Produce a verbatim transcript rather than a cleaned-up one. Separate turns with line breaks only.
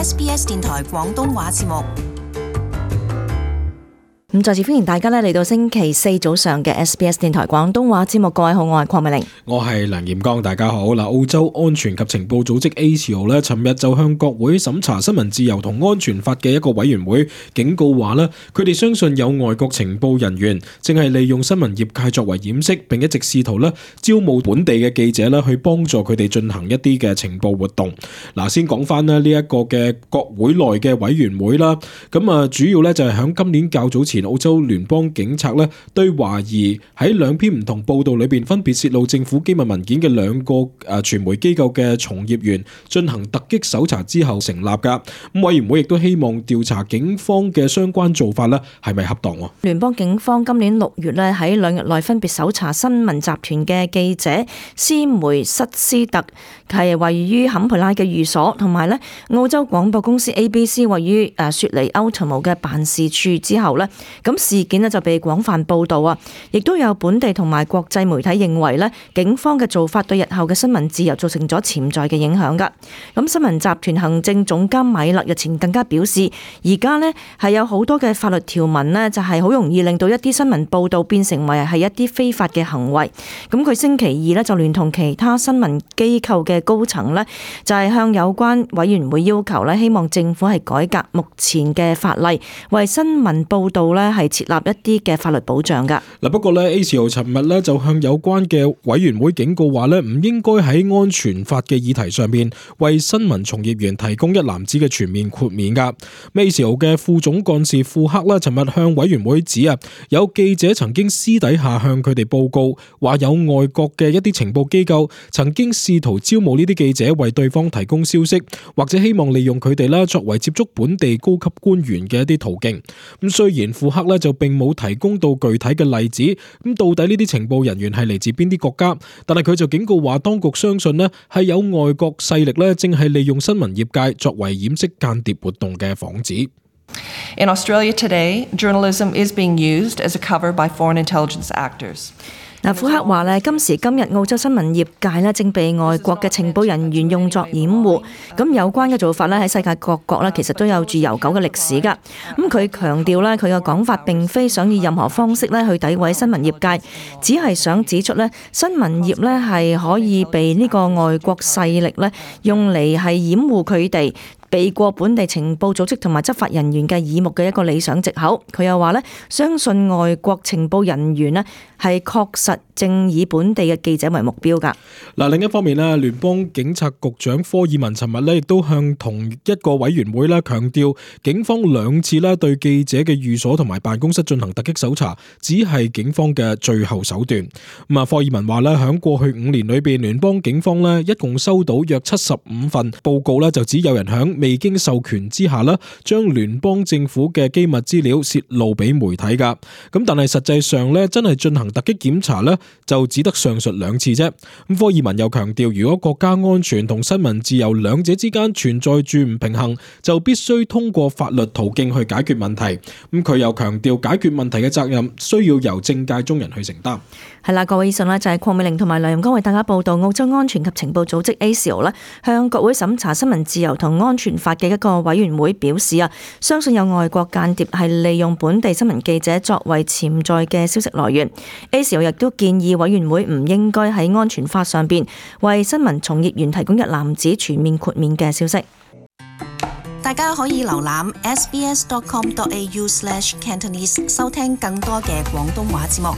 S B S 電台廣東話節目。
咁再次歡迎大家咧嚟到星期四早上嘅 S B S 電台廣東話節目。各位好，我係鄺美玲，
我係梁炎剛，大家好。嗱，澳洲安全及情報組織 A C O 咧，尋日就向國會審查新聞自由同安全法嘅一個委員會警告話咧，佢哋相信有外國情報人員正係利用新聞業界作為掩飾，並一直試圖咧招募本地嘅記者咧去幫助佢哋進行一啲嘅情報活動。嗱，先講翻咧呢一個嘅國會內嘅委員會啦，咁啊主要咧就係響今年較早前，澳洲聯邦警察咧對懷疑喺兩篇唔同報道裏邊分別泄露政府機密文件嘅兩個誒傳媒機構嘅從業員進行突擊搜查之後成立噶。咁委員會亦都希望調查警方嘅相關做法咧係咪恰當。
聯邦警方今年六月咧喺兩日內分別搜查新聞集團嘅記者斯梅塞斯特係位於坎培拉嘅寓所，同埋咧澳洲廣播公司 A B C 位於誒雪梨奧特姆嘅辦事處之後咧。咁事件呢就被廣泛報導啊，亦都有本地同埋國際媒體認為呢警方嘅做法對日後嘅新聞自由造成咗潛在嘅影響㗎。咁新聞集團行政總監米勒日前更加表示，而家呢係有好多嘅法律條文呢，就係好容易令到一啲新聞報導變成為係一啲非法嘅行為。咁佢星期二呢就聯同其他新聞機構嘅高層呢，就係向有關委員會要求呢，希望政府係改革目前嘅法例，為新聞報導呢係設立一啲嘅法律保障噶。嗱，
不過咧 A C O 尋日咧就向有關嘅委員會警告話咧，唔應該喺安全法嘅議題上面為新聞從業員提供一籃子嘅全面豁免噶。A C O 嘅副總幹事庫克啦，尋日向委員會指啊，有記者曾經私底下向佢哋報告，話有外國嘅一啲情報機構曾經試圖招募呢啲記者為對方提供消息，或者希望利用佢哋啦作為接觸本地高級官員嘅一啲途徑。咁雖然庫克咧就並冇提供到具體嘅例子，咁到底呢啲情報人員係嚟自邊啲國家？但係佢就警告話，當局相信呢係有外國勢力咧，正係利用新聞業界作為掩飾間諜活動嘅幌子。
In Australia today, journalism is being used as a cover by foreign intelligence actors.
嗱，庫克話咧，今時今日澳洲新聞業界咧正被外國嘅情報人員用作掩護。咁有關嘅做法咧喺世界各國咧其實都有住悠久嘅歷史㗎。咁佢強調咧，佢嘅講法並非想以任何方式咧去詆毀新聞業界，只係想指出咧新聞業咧係可以被呢個外國勢力咧用嚟係掩護佢哋避過本地情報組織同埋執法人員嘅耳目嘅一個理想藉口。佢又話咧，相信外國情報人員咧係確實正以本地嘅記者為目標㗎。
嗱，另一方面咧，聯邦警察局長科爾文尋日咧亦都向同一個委員會咧強調，警方兩次咧對記者嘅寓所同埋辦公室進行突擊搜查，只係警方嘅最後手段。咁啊，科爾文話咧，響過去五年裏邊，聯邦警方咧一共收到約七十五份報告咧，就只有人響未經授權之下咧，將聯邦政府嘅機密資料泄露俾媒體噶。咁但係實際上咧，真係進行突擊檢查咧，就只得上述兩次啫。咁科爾文又強調，如果國家安全同新聞自由兩者之間存在住唔平衡，就必須通過法律途徑去解決問題。咁佢又強調，解決問題嘅責任需要由政界中人去承擔。
係啦，各位，以上呢就係鄺美玲同埋梁炎剛為大家報道澳洲安全及情報組織 A C O 咧向國會審查新聞自由同安全法嘅一個委員會表示啊，相信有外國間諜係利用本地新聞記者作為潛在嘅消息來源。A C O 亦都建議委員會唔應該喺安全法上邊為新聞從業員提供一籃子全面豁免嘅消息。
大家可以瀏覽 s b s dot com dot a u slash cantonese 收聽更多嘅廣東話節目。